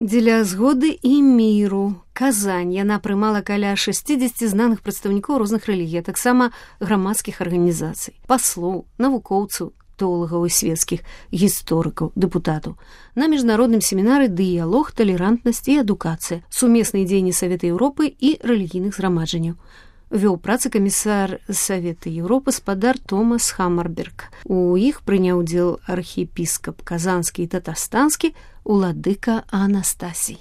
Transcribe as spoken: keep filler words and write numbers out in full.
Дзеля згоды і міру Казань яна прымала каля шэсцідзесяці знаных прадстаўнікоў розных рэлігій, а таксама грамадскіх арганізацый, паслоў, навукоўцаў, тэолагаў і свецкіх гісторыкаў, дэпутатаў. На міжнародным семінары дыялог, талерантнасць і адукацыя, сумесныя дзеянні Савета Еўропы і рэлігійных зграмаджанняў. Вёў працы камісар Савета Еўропы спадар Томас Хаммарберг. У іх прыняў удзел архіепіскап казанскі і татарстанскі, уладыка Анастасій.